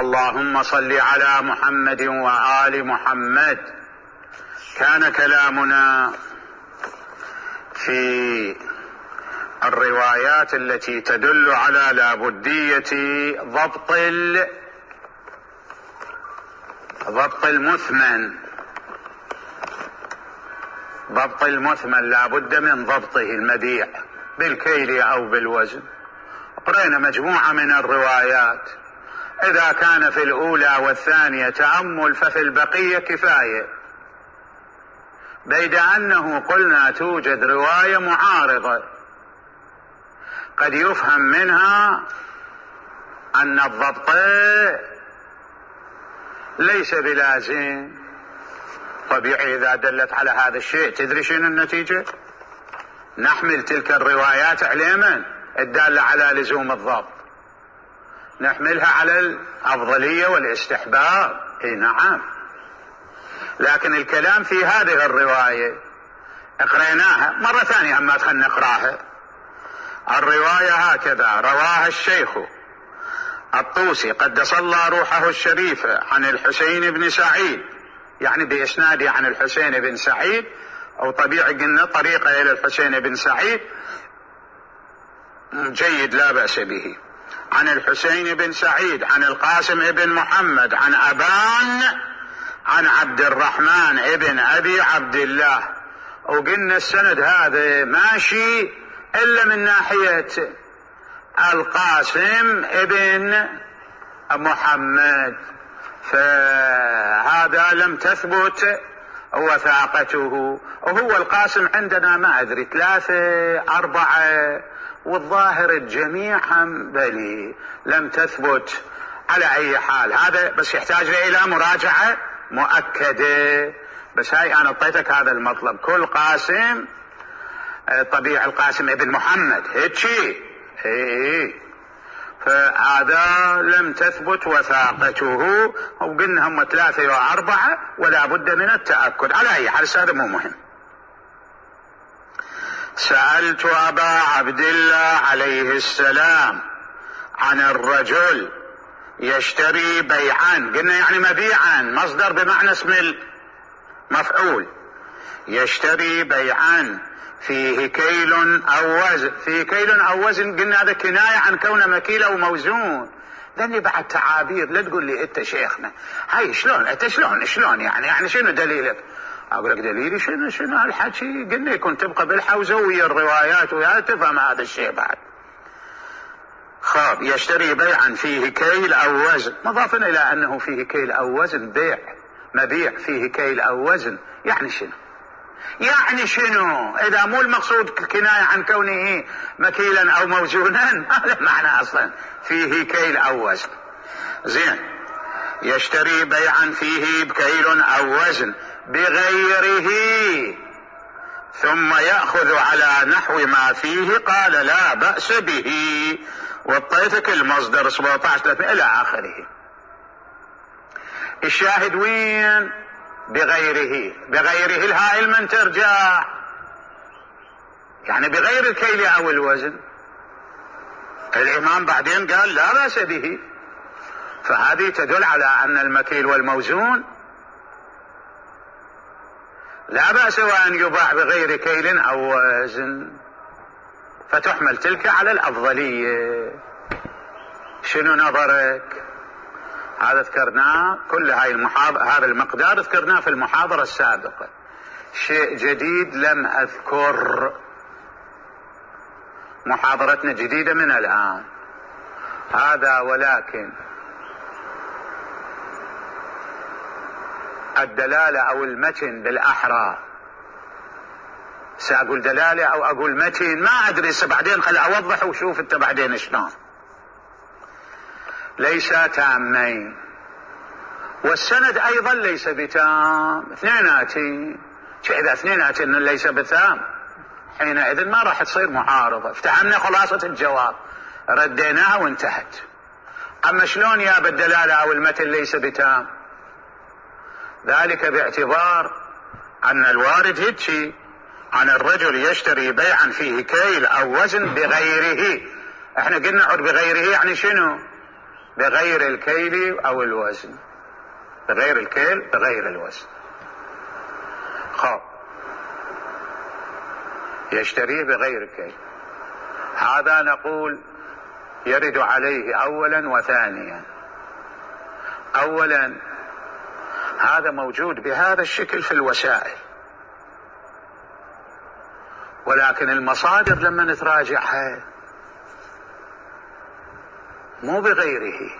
اللهم صل على محمد وآل محمد. كان كلامنا في الروايات التي تدل على لابدية ضبط المثمن لابد من ضبطه، المبيع بالكيل أو بالوزن. قرأنا مجموعة من الروايات، إذا كان في الأولى والثانية تأمل ففي البقية كفاية، بيد أنه قلنا توجد رواية معارضة قد يفهم منها أن الضبط ليس بلازم. طبيعي إذا دلت على هذا الشيء تدري شنو النتيجة؟ نحمل تلك الروايات على من؟ الدالة على لزوم الضبط، نحملها على الأفضلية والاستحباب. نعم، لكن الكلام في هذه الرواية اقرأناها مرة ثانية، أما خلنا نقراها. الرواية هكذا: رواها الشيخ الطوسي قدس الله روحه الشريفة عن الحسين بن سعيد، يعني بإسناده عن الحسين بن سعيد، أو طبيعي قلنا طريقة إلى الحسين بن سعيد جيد لا بأس به. عن الحسين بن سعيد عن القاسم بن محمد عن أبان عن عبد الرحمن ابن أبي عبد الله. وقلنا السند هذا ماشي إلا من ناحية القاسم ابن محمد، فهذا لم تثبت وثاقته. وهو القاسم عندنا ما أدري 3 4، والظاهر الجميع هم بلي لم تثبت. على أي حال هذا بس يحتاج إلى مراجعة مؤكدة، بس هاي أنا اعطيتك هذا المطلب. كل قاسم طبيعي القاسم ابن محمد هيك، فهذا لم تثبت وثاقته، وقلنا هم 3 و4 ولا بد من التأكد. على أي حال هذا مو مهم. سألت أبا عبد الله عليه السلام عن الرجل يشتري بيعا، قلنا يعني مبيعا، مصدر بمعنى اسم المفعول. يشتري بيعا فيه كيل أو وزن، فيه كيل أو وزن، قلنا هذا كناية عن كونه مكيل أو موزون. لأني بعد تعابير، لا تقول لي أنت شيخنا هاي شلون أنت شلون يعني شنو دليلك؟ أقول لك دليلي شنو هالحكي؟ قلنا يكون تبقى بالحوزة ويا الروايات ويا تفهم هذا الشيء بعد. خاب يشتري بيعا فيه كيل أو وزن، مضافا إلى أنه فيه كيل أو وزن، بيع مبيع فيه كيل أو وزن، يعني شنو إذا مو المقصود كناية عن كونه مكيلا أو موزونا؟ هذا معنى أصلا فيه كيل أو وزن. زين، يشتري بيعا فيه بكيل أو وزن بغيره ثم يأخذ على نحو ما فيه، قال لا بأس به. وطيتك المصدر 17 إلى آخره. الشاهد وين؟ بغيره الهاء من ترجع، يعني بغير الكيل أو الوزن. الإمام بعدين قال لا بأس به، فهذه تدل على أن المكيل والموزون لا بأس وأن يباع بغير كيل أو وزن، فتحمل تلك على الأفضلية. شنو نظرك؟ هذا ذكرناه، كل هذا المقدار ذكرناه في المحاضرة السابقة. شيء جديد لم أذكر، محاضرتنا جديدة من الآن هذا، ولكن الدلالة أو المتن بالأحرى، سأقول دلالة أو أقول متن ما أدري، بعدين خل أوضح وشوف أنت بعدين شلون. ليس تامين، والسند أيضا ليس بتام، اثنيناتي. إذا اثنيناتي ليس بتام حينئذ ما راح تصير معارضة. افتهمنا خلاصة الجواب، رديناها وانتهت. أما شلون يا بالدلالة أو المتن ليس بتام؟ ذلك باعتبار أن الوارد هيك عن الرجل يشتري بيعا فيه كيل أو وزن بغيره. احنا قلنا بغيره يعني شنو؟ بغير الكيل أو الوزن، بغير الكيل بغير الوزن. خب يشتريه بغير الكيل، هذا نقول يرد عليه أولا وثانيا. أولا هذا موجود بهذا الشكل في الوسائل، ولكن المصادر لما نتراجعها مو بغيره.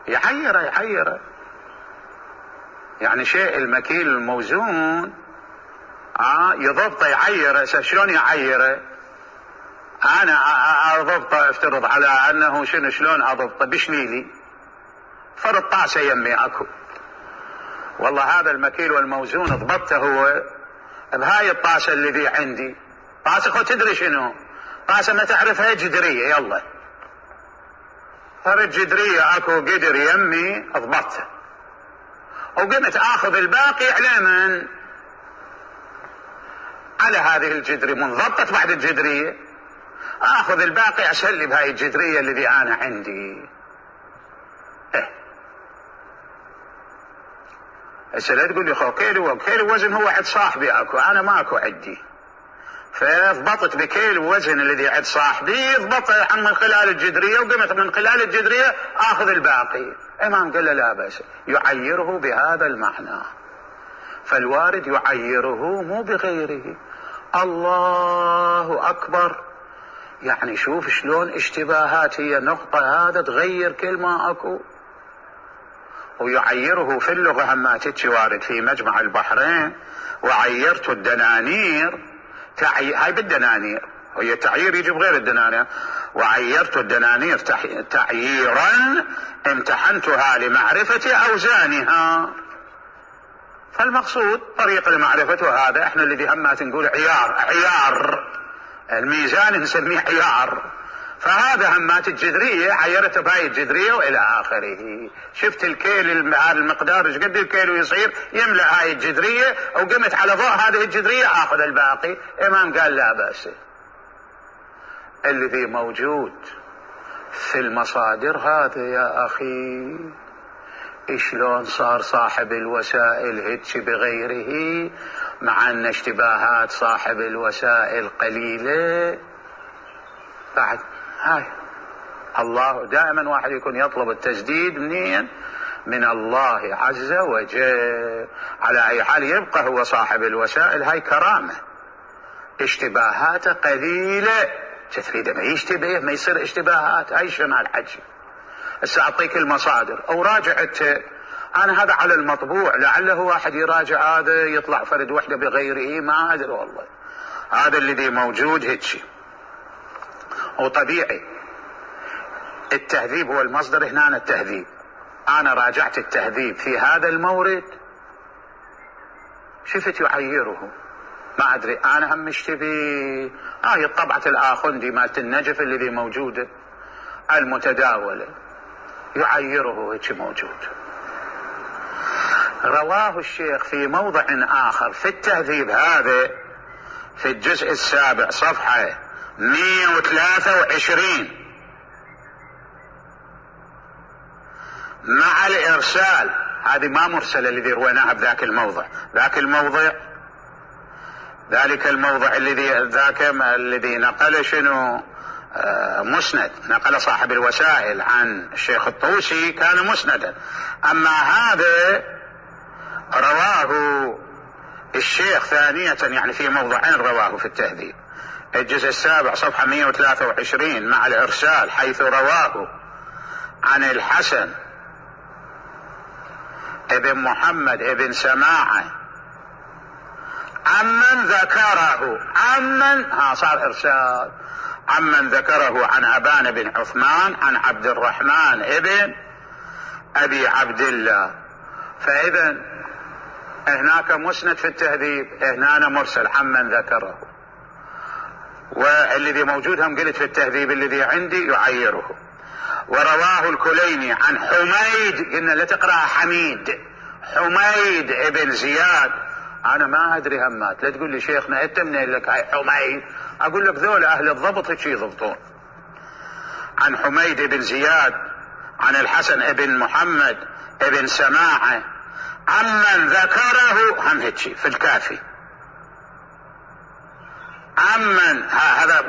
يعيره يعني شيء المكيل الموزون يضبطه يعيره. شلون يعيره؟ انا اضبطه، افترض على انه شلون اضبطه؟ بشليلي فرض طاسه يمي اكو، والله هذا المكيل والموزون ضبطته هو بهاي الطاسه اللي عندي. طاسه خو تدري شنو؟ طاسه ما تعرفها جدريه، يلا فرد جدريه اكو قدر يمي اضبطته، وقمت اخذ الباقي على من؟ على هذه الجدريه منضبطت بعد الجدريه، اخذ الباقي اسلي بهاي الجدريه الذي انا عندي. هسه لا تقول لي خو كيل وزن هو عند صاحبي اكو، انا ما اكو عندي، فضبطت بكيل وزن الذي عند صاحبي، ضبطه من خلال الجدريه، وقمت من خلال الجدريه اخذ الباقي. امام قال له لا بأس، يعيره بهذا المعنى. فالوارد يعيره مو بغيره. الله اكبر. يعني شوف شلون اشتباهات هي نقطة هذا تغير كلمة اكو. ويعيره في اللغة هما تتشي وارد في مجمع البحرين، وعيرت الدنانير هاي بالدنانير، وهي تعيير يجي بغير الدنانير. وعيرت الدنانير تعييرا امتحنتها لمعرفة اوزانها. فالمقصود طريق المعرفة، وهذا احنا الذي همات نقول عيار الميزان نسميه عيار. فهذا همات الجدرية عيرته بهاي الجدرية والى اخره. شفت الكيل المقدار ايش قد الكيل يصير، يملأ هاي الجدرية، وقمت على ضوء هذه الجدرية اخذ الباقي. امام قال لا بأس. الذي موجود في المصادر هذا يا اخي، شلون صار صاحب الوسائل هيك بغيره، مع ان اشتباهات صاحب الوسائل قليلة. بعد هاي الله دائما واحد يكون يطلب التسديد منين؟ من الله عز وجل. على اي حال يبقى هو صاحب الوسائل، هاي كرامة، اشتباهاته قليلة، تفريده ما يشتبه ما يصير اشتباهات. هاي شمال حجي. هسه اعطيك المصادر او راجعت انا هذا على المطبوع، لعله واحد يراجع هذا يطلع فرد وحده بغيره، ما ادري والله. هذا الذي موجود هيك. وطبيعي التهذيب هو المصدر هنا. التهذيب انا راجعت التهذيب في هذا المورد، شفت يعيره، ما ادري انا هم اشتبي. هي طبعة الاخندي مالت النجف الذي موجودة المتداولة، يعيره هيك موجود. رواه الشيخ في موضع اخر في التهذيب هذا في الجزء السابع صفحة 123 مع الارسال. هذه ما مرسلة الذي رويناها بذاك الموضع. ذلك الموضع الذي نقل شنو مسند، نقل صاحب الوسائل عن الشيخ الطوسي كان مسندا. اما هذا رواه الشيخ ثانية، يعني في موضعين رواه في التهذيب. الجزء السابع صفحة 123 مع الارسال، حيث رواه عن الحسن ابن محمد ابن سماعة عمن ذكره، صار ارسال، عمن ذكره عن أبان بن عثمان عن عبد الرحمن ابن ابي عبد الله. فاذا هناك مسند في التهذيب، هنا مرسل عمن ذكره. والذي موجود هم قلت في التهذيب الذي عندي يعيره. ورواه الكليني عن حميد، قلنا لا تقرأ حميد، حميد ابن زياد انا ما ادري همات، لا تقول لي شيخنا انت منين لك هاي حميد، اقول لك ذول اهل الضبط هيك يضبطون. عن حميد بن زياد عن الحسن بن محمد بن سماعة عمن ذكره، هم هيك في الكافي، عمن هذا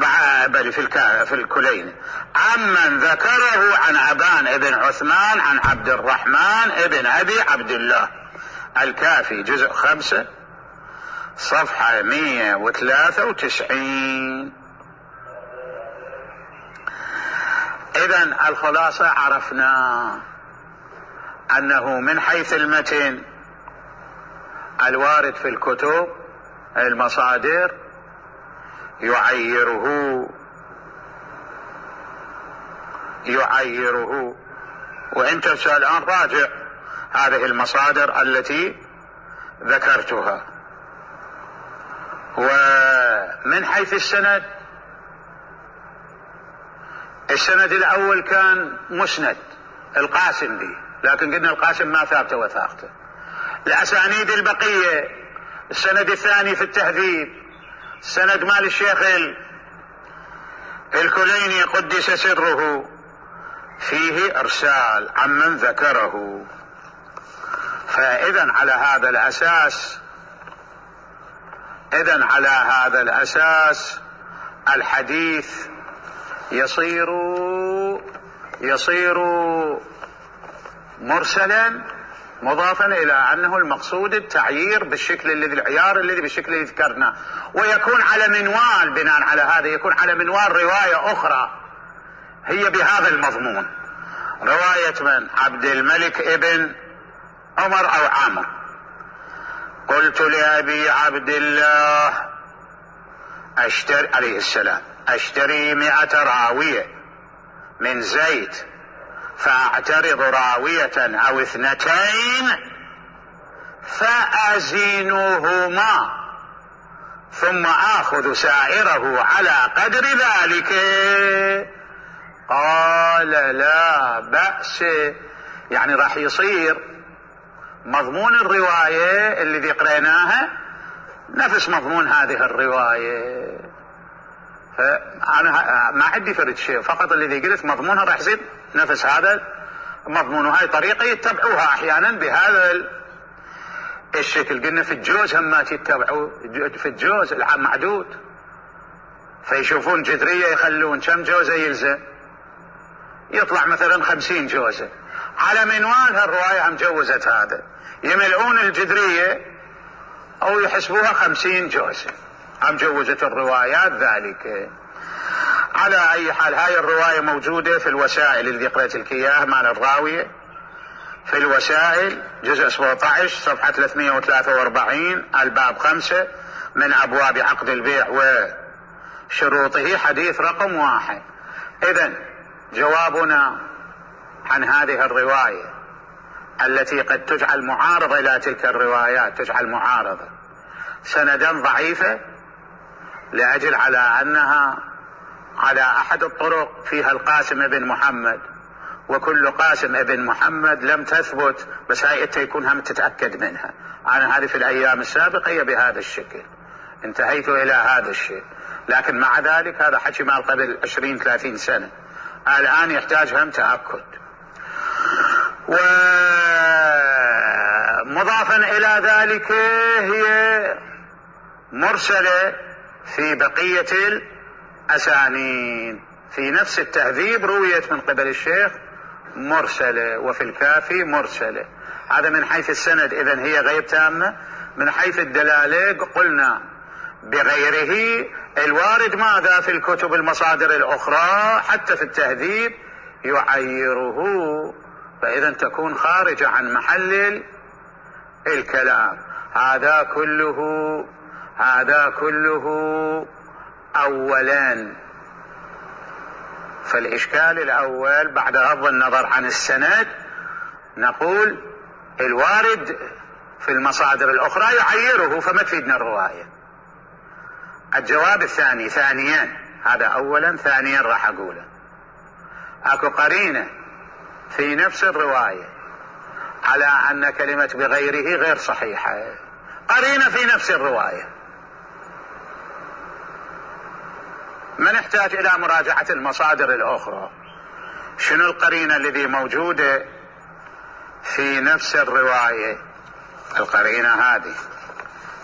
بل في الكلين، عمن ذكره عن عبان بن عثمان عن عبد الرحمن بن ابي عبد الله. الكافي جزء 5 صفحة 193. اذن الخلاصة عرفنا انه من حيث المتن الوارد في الكتب المصادر يعيره، وانت الان راجع هذه المصادر التي ذكرتها. ومن حيث السند الاول كان مسند القاسم به، لكن قلنا القاسم ما ثابته وثاقته. الاسانيد البقية السند الثاني في التهذيب سند مال الشيخ الكليني قدس سره فيه ارسال عمن ذكره. فاذا على هذا الاساس الحديث يصير مرسلا مضافا الى انه المقصود التعيير بالشكل العيار الذي بالشكل الذي ذكرنا، ويكون على منوال، بناء على هذا يكون على منوال رواية اخرى هي بهذا المضمون، رواية من عبد الملك ابن عمر او عامر. قلت لأبي عبد الله اشتري عليه السلام اشتري 100 راوية من زيد فاعترض راوية او 2 فازنهما ثم اخذ سائره على قدر ذلك. قال لا بأس، يعني راح يصير مضمون الرواية اللي قريناها نفس مضمون هذه الرواية. فأنا ما عندي فرد شيء، فقط الذي قلت مضمونها راح يصير نفس هذا مضمون، وهاي طريقة يتبعوها أحيانا بهذا الشكل. قلنا في الجوز هم يتبعوا في الجوز المعدود، فيشوفون جذرية يخلون كم جوزة يلزم، يطلع مثلا 50 جوزة، على منوال هالرواية هم جوزت هذا، يملؤون الجذرية او يحسبوها 50 جوزة، هم جوزت الروايات ذلك. على اي حال هاي الرواية موجودة في الوسائل اللي قرأت لك اياها مال الراوية، في الوسائل جزء 17 صفحة 343 الباب 5 من ابواب عقد البيع وشروطه حديث رقم 1. اذن جوابنا عن هذه الرواية التي قد تجعل معارضة الى تلك الروايات، تجعل معارضة سندا ضعيفة لأجل على انها على احد الطرق فيها القاسم بن محمد، وكل قاسم بن محمد لم تثبت، بس هاي انت يكون هم تتأكد منها. انا هذه في الايام السابقة هي بهذا الشكل، انتهيت الى هذا الشيء، لكن مع ذلك هذا حكي مال قبل 20-30 سنة، الان يحتاج هم تأكد. ومضافا الى ذلك هي مرسلة في بقية الاسانيد، في نفس التهذيب رويت من قبل الشيخ مرسلة، وفي الكافي مرسلة. هذا من حيث السند اذن هي غير تامة. من حيث الدلالة قلنا بغيره الوارد ماذا في الكتب المصادر الاخرى حتى في التهذيب يعيره، فاذا تكون خارجة عن محل الكلام. هذا كله اولا. فالاشكال الاول بعد غض النظر عن السند نقول الوارد في المصادر الاخرى يعيره، فما تفيدنا الرواية. الجواب الثاني ثانيا، هذا اولا، ثانيا راح اقوله اكو قرينة في نفس الرواية على ان كلمة بغيره غير صحيحة، قرينة في نفس الرواية. ما نحتاج إلى مراجعة المصادر الأخرى. شنو القرينة الذي موجودة في نفس الرواية؟ القرينة هذه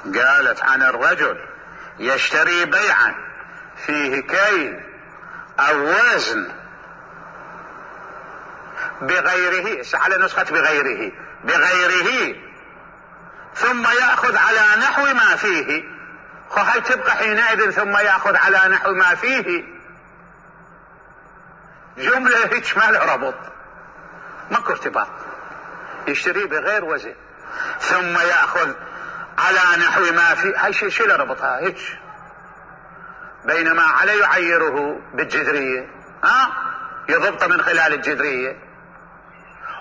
قالت عن الرجل يشتري بيعا فيه كيل أو وزن بغيره، على نسخة بغيره ثم يأخذ على نحو ما فيه. هل تبقى حينئذ ثم يأخذ على نحو ما فيه جملة هيك ما له ربط، ماكو ارتباط. يشتري بغير وزن ثم يأخذ على نحو ما فيه، هاي شو له ربطها هيك؟ بينما عليه يعيره بالجذرية، يضبط من خلال الجذرية،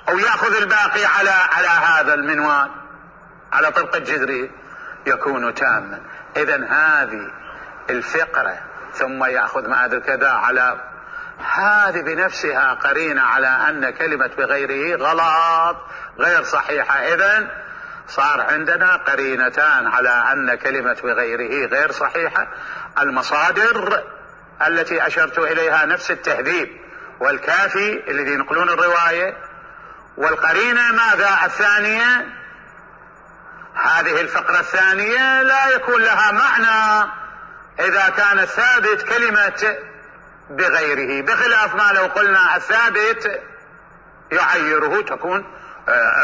او يأخذ الباقي على هذا المنوال على طبق الجذرية، يكون تاما. اذا هذه الفقرة ثم يأخذ ما ادري كذا على هذه بنفسها قرينة على ان كلمة بغيره غلط غير صحيحة. اذا صار عندنا قرينتان على ان كلمة بغيره غير صحيحة. المصادر التي اشرت اليها نفس التهذيب والكافي الذي ينقلون الرواية، والقرينة ماذا الثانية؟ هذه الفقرة الثانية لا يكون لها معنى إذا كان الثابت كلمة بغيره، بخلاف ما لو قلنا الثابت يعيره، تكون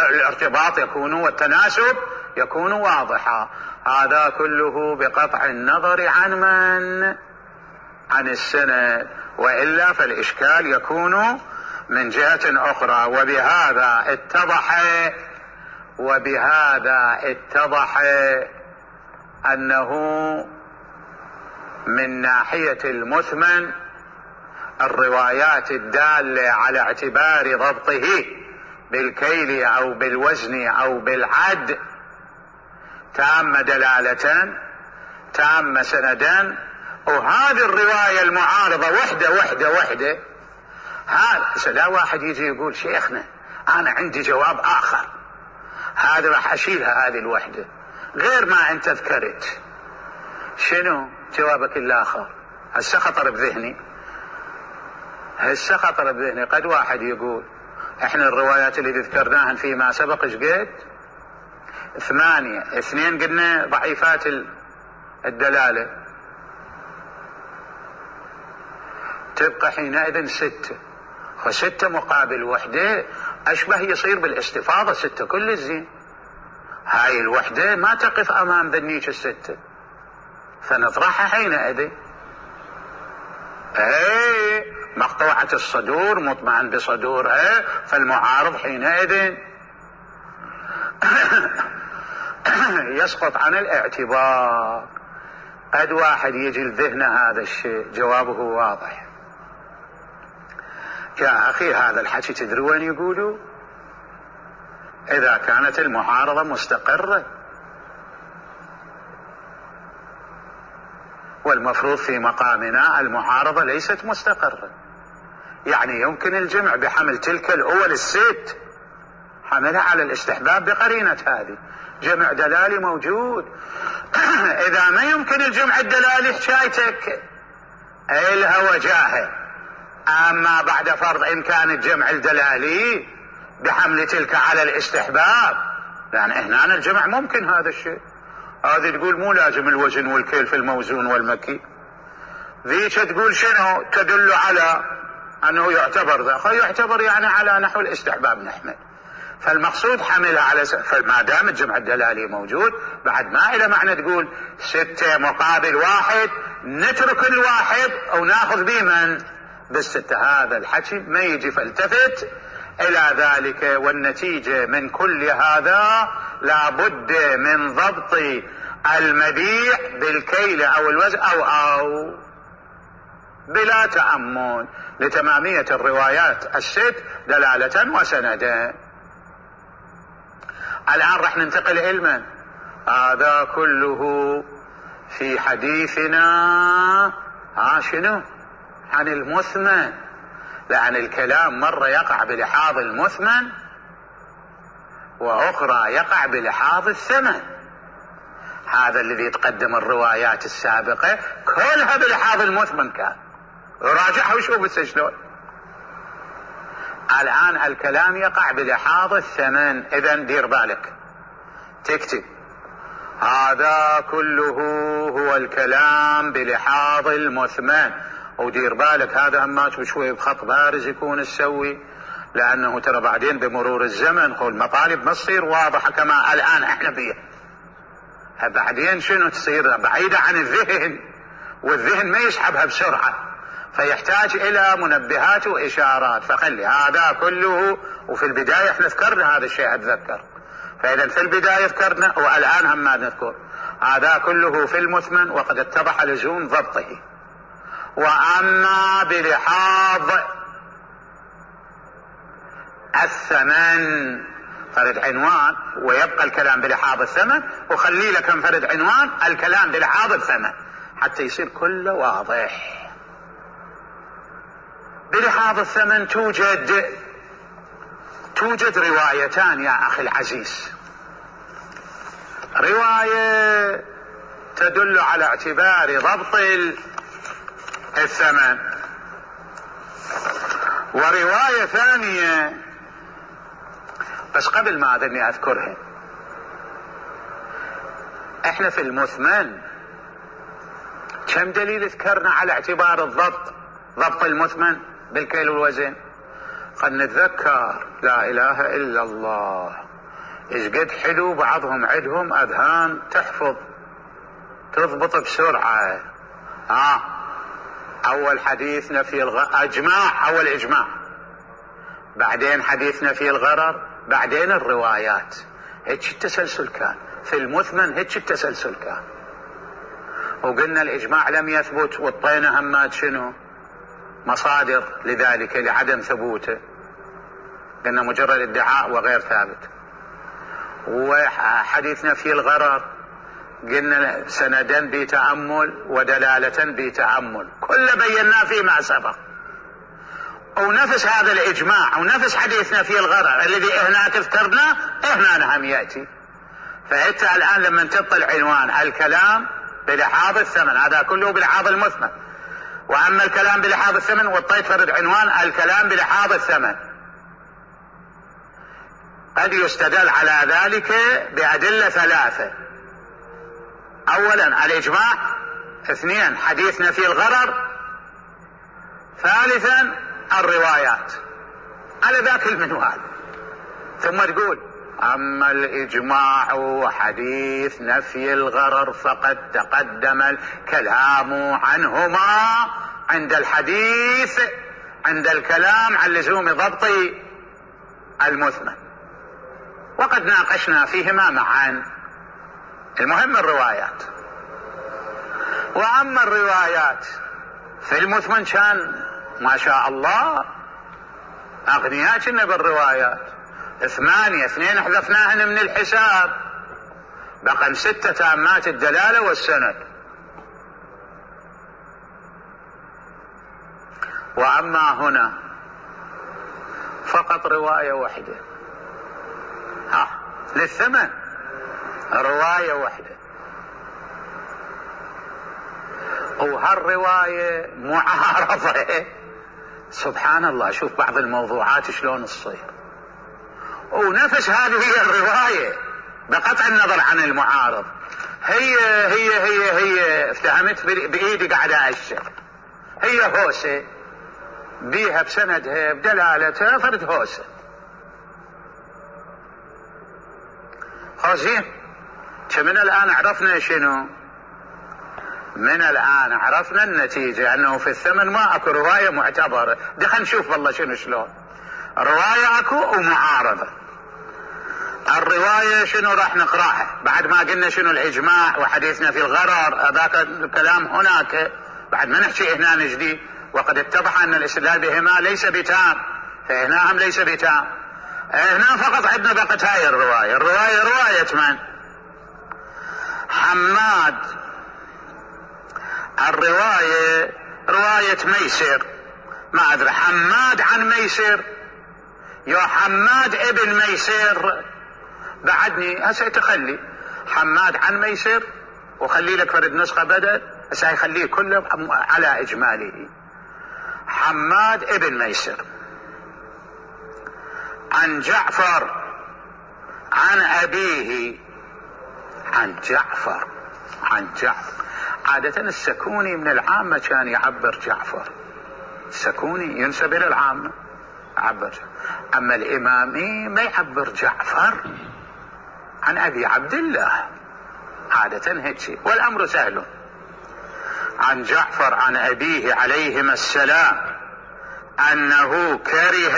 الارتباط يكون والتناسب يكون واضحا. هذا كله بقطع النظر عن من؟ عن السند، وإلا فالإشكال يكون من جهة أخرى. وبهذا اتضح أنه من ناحية المثمن الروايات الدالة على اعتبار ضبطه بالكيل أو بالوزن أو بالعد تام دلالة تام سندا. وهذه الرواية المعارضة وحدة هذا لا واحد يجي يقول شيخنا أنا عندي جواب آخر، هذا راح أشيلها هذه الوحدة غير ما أنت ذكرت. شنو جوابك الآخر؟ هسه خطر بذهني قد واحد يقول احنا الروايات اللي ذكرناها فيما سبق شقد 8، 2 قلنا ضعيفات الدلالة، تبقى حينئذ 6، و6 مقابل وحدة أشبه يصير بالاستفاضة 6 كل الزين. هاي الوحدة ما تقف أمام ذنيك 6، فنطرحها حينئذ. مقطوعة الصدور مطمئن بصدورها، فالمعارض حينئذ يسقط عن الاعتبار. قد واحد يجي لذهن هذا الشيء جوابه واضح. يا أخي هذا الحكي تدري وين يقولوا؟ إذا كانت المعارضة مستقرة، والمفروض في مقامنا المعارضة ليست مستقرة، يعني يمكن الجمع بحمل تلك الأول 6 حملها على الاستحباب بقرينة هذه جمع دلالي موجود. إذا ما يمكن الجمع الدلالي حكايتك إلها وجاهه. أما بعد فرض إمكان الجمع الدلالي بحمل تلك على الاستحباب، يعني هنا الجمع ممكن هذا الشيء. هذه تقول مو لازم الوزن والكيل في الموزون والمكي، ذيك تقول شنو تدل على أنه يعتبر ذا، يعتبر يعني على نحو الاستحباب نحمل. فالمقصود حملها على فما دام الجمع الدلالي موجود بعد ما إلى معنى تقول 6 مقابل 1 نترك الواحد أو ناخذ بمن بال6. هذا الحكي ما يجي، فالتفت إلى ذلك. والنتيجة من كل هذا لابد من ضبط المبيع بالكيل أو الوزن أو بلا تأمل لتمامية الروايات 6 دلالة وسندا. الآن رح ننتقل إلى هذا كله في حديثنا شنو؟ عن المثمن. لأن الكلام مرة يقع بلحاظ المثمن وأخرى يقع بلحاظ الثمن. هذا الذي تقدم الروايات السابقة كلها بلحاظ المثمن كان، راجعها وشوف بس شلون. الآن الكلام يقع بلحاظ الثمن، إذن دير بالك تكتب هذا كله هو الكلام بلحاظ المثمن، ودير بالك هذا هماش بشوي بخط بارز يكون تسوي، لأنه ترى بعدين بمرور الزمن المطالب ما تصير واضحة كما الآن احنا بيها، بعدين شنو تصير بعيدة عن الذهن، والذهن ما يسحبها بسرعة، فيحتاج إلى منبهات وإشارات. فخلي هذا كله، وفي البداية احنا ذكرنا هذا الشيء أتذكر، فإذا في البداية ذكرنا والآن هم ما نذكر هذا كله في المثمن وقد اتضح لزوم ضبطه. وأما بلحاظ الثمن فرد عنوان، ويبقى الكلام بلحاظ الثمن، وخلي لك فرد عنوان الكلام بلحاظ الثمن حتى يصير كله واضح. بلحاظ الثمن توجد روايتان يا أخي العزيز، رواية تدل على اعتبار ضبط الثمن، ورواية ثانية بس قبل ما أذني أذكرها. احنا في المثمن كم دليل ذكرنا على اعتبار ضبط المثمن بالكيل والوزن؟ قد نتذكر لا إله إلا الله إيش قد حلو بعضهم عندهم أذهان تحفظ تضبط بسرعة. أول حديثنا في أول إجماع، بعدين حديثنا في الغرر، بعدين الروايات. هيك التسلسل كان في المثمن، هيك التسلسل كان. وقلنا الإجماع لم يثبت، والطينة همات شنو مصادر لذلك لعدم ثبوته، قلنا مجرد ادعاء وغير ثابت. وحديثنا في الغرر قلنا سندا بتأمل ودلالة بتأمل، كل بيناه فيما سبق. ونفس هذا الإجماع ونفس حديثنا في الغرر الذي هناك اذكرناه هنا هم يأتي. فأنت الآن لما تطلع عنوان الكلام بلحاظ الثمن، هذا كله بلحاظ المثمن، وأما الكلام بلحاظ الثمن والطيب فرد عنوان الكلام بلحاظ الثمن. قد يستدل على ذلك بأدلة ثلاثة: أولا الإجماع، اثنين حديثنا في الغرر، ثالثا الروايات على ذاك المنوال. ثم تقول أما الإجماع وحديث نفي الغرر فقد تقدم الكلام عنهما عند الكلام عن لزوم ضبط المثمن، وقد ناقشنا فيهما معا. المهم الروايات. وأما الروايات في المثمن كان ما شاء الله أغنياء كنا بالروايات، 2 حذفناهن من الحساب، بقى 6 تامات الدلالة والسند. وأما هنا فقط رواية واحدة للثمن، رواية واحدة، وهالرواية معارضة. سبحان الله، شوف بعض الموضوعات شلون تصير، ونفس هذه هي الرواية بقطع النظر عن المعارض، هي افتهمت بإيدي قاعدة أشر، هي هوسة بيها بسندها بدلالتها فرد هوسة. زين، من الآن عرفنا شنو؟ من الآن عرفنا النتيجة أنه في الثمن ما أكو رواية معتبرة. دخل نشوف والله شلون رواية أكو ومعارضة. الرواية شنو راح نقراها بعد ما قلنا شنو الإجماع وحديثنا في الغرر، ذاك الكلام هناك بعد ما نحكي هنا جديد، وقد اتضح أن الاستدلال بهما ليس بتام، فهنا هم ليس بتام. هنا فقط عندنا بقت هاي الرواية رواية من؟ حماد. الرواية رواية ميسر، ما أدري حماد عن ميسر، يا حماد ابن ميسر، بعدني هسه تخلي حماد عن ميسر وخلي لك فرد نسخة بدل، بس هيخليه كله على إجماله. حماد ابن ميسر عن جعفر عن أبيه عن جعفر. عادة السكوني من العامة كان يعبر جعفر، السكوني ينسب إلى العامة يعبر، أما الإمامي ما يعبر جعفر، عن أبي عبد الله عادة هيك، والأمر سهل. عن جعفر عن أبيه عليهما السلام أنه كره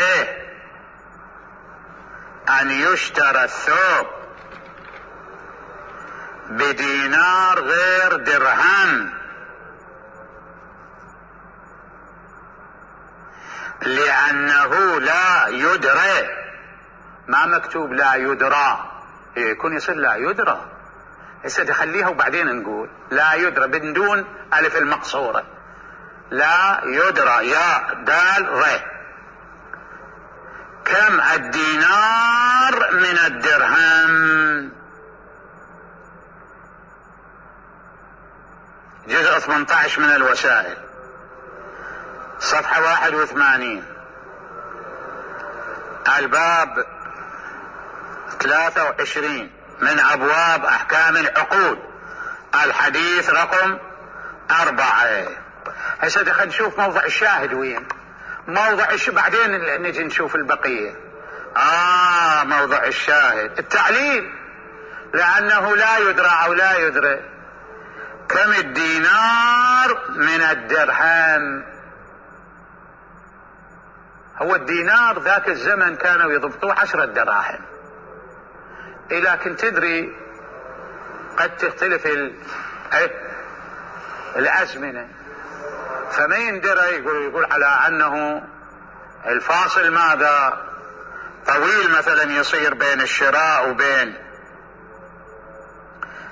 أن يشترى الثوب بدينار غير درهم، لأنه لا يدرى. ما مكتوب لا يدرى، يكون يصير لا يدرى. هسه خليها وبعدين نقول لا يدرى بدون ألف المقصورة، لا يدرى يا دال ر. كم الدينار من الدرهم؟ جزء 18 من الوسائل، صفحة 81، الباب 23 من أبواب أحكام العقود، الحديث رقم 4. هسه خلينا نشوف موضع الشاهد وين. موضع بعدين نجي نشوف البقية. موضع الشاهد التعليل، لأنه لا يدرى أو لا يدرى. كم الدينار من الدرهم؟ هو الدينار ذاك الزمن كانوا يضبطوه 10 دراهم، لكن تدري قد تختلف الأزمنة، فما يندرى يقول على أنه الفاصل ماذا طويل مثلا يصير بين الشراء وبين،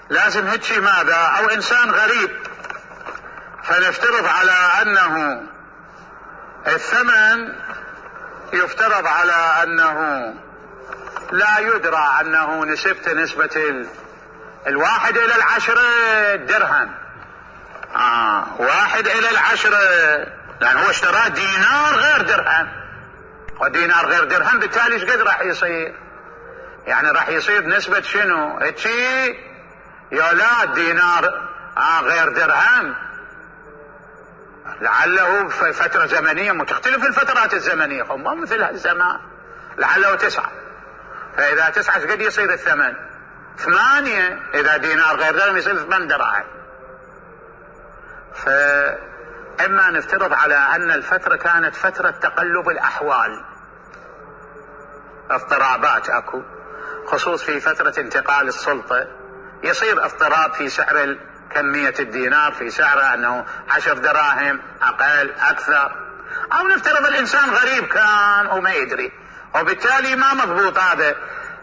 لازم هيك ماذا، أو إنسان غريب، فنفترض على أنه الثمن يفترض على أنه لا يدرى، أنه نسبة 1 إلى 10 درهم. 1 إلى 10، لأن هو اشترى دينار غير درهم، ودينار غير درهم بالتالي ايش قد راح يصير؟ يعني راح يصير نسبة شنو؟ هيك يا لا دينار غير درهم، لعله في فترة زمنية متختلف الفترات الزمنية، ما مثل هالزمان، لعله 9، فإذا 9 قد يصير الثمن 8، إذا دينار غير درهم يصير 8 دراهم. فإما نفترض على أن الفترة كانت فترة تقلب الأحوال، اضطرابات أكو، خصوص في فترة انتقال السلطة يصير اضطراب في سعر كمية الدينار، في سعره أنه 10 دراهم أقل أكثر، أو نفترض الإنسان غريب كان وما يدري، وبالتالي ما مضبوط هذا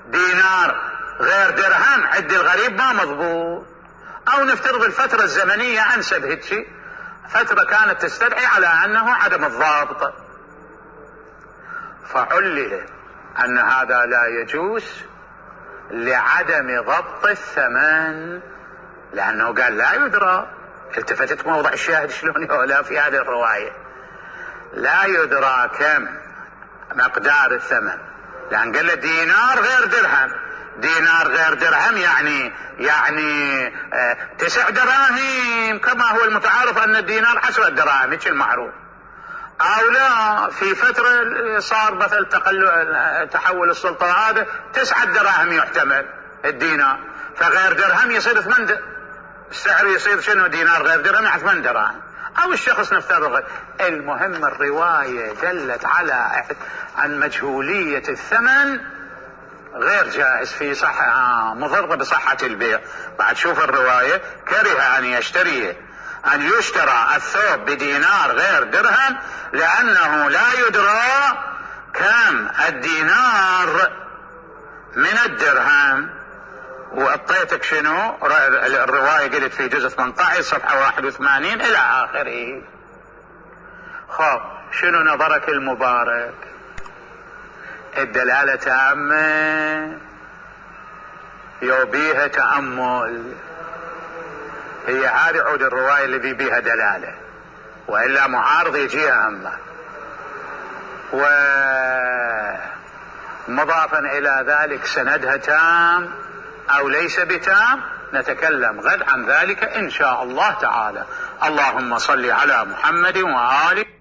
دينار غير درهم عند الغريب ما مضبوط، أو نفترض الفترة الزمنية أنسب هيك فترة كانت تستدعي على أنه عدم الضابط، فعلل أن هذا لا يجوز لعدم ضبط الثمن، لأنه قال لا يدرى. التفتت موضع الشاهد شلون يقولها في هذه الرواية، لا يدرى كم مقدار الثمن، لأن قال له دينار غير درهم. دينار غير درهم يعني 9 دراهم، كما هو المتعارف أن الدينار 10 دراهم، هيك المعروف. أو لا في فترة صار مثل تحول السلطة هذا 9 دراهم يحتمل الدينار، فغير درهم يصير 8، السعر يصير شنو؟ دينار غير درهم 8 دراهم، أو الشخص نفترض. المهم الرواية دلت على عن مجهولية الثمن غير جائز في صحة، مضر بصحة البيع. بعد شوف الرواية، كره أن يشترى الثوب بدينار غير درهم لأنه لا يدرى كم الدينار من الدرهم. وأعطيتك شنو الرواية، قلت في جزء 18 صفحة 81 إلى آخره. خب شنو نظرك المبارك؟ الدلالة تامة يوبيها تأمل. هي هذه عود الرواية الذي بها دلالة، وإلا معارض يجيها همه. ومضافا إلى ذلك سندها تام أو ليس بتام نتكلم غد عن ذلك إن شاء الله تعالى. اللهم صل على محمد وآله.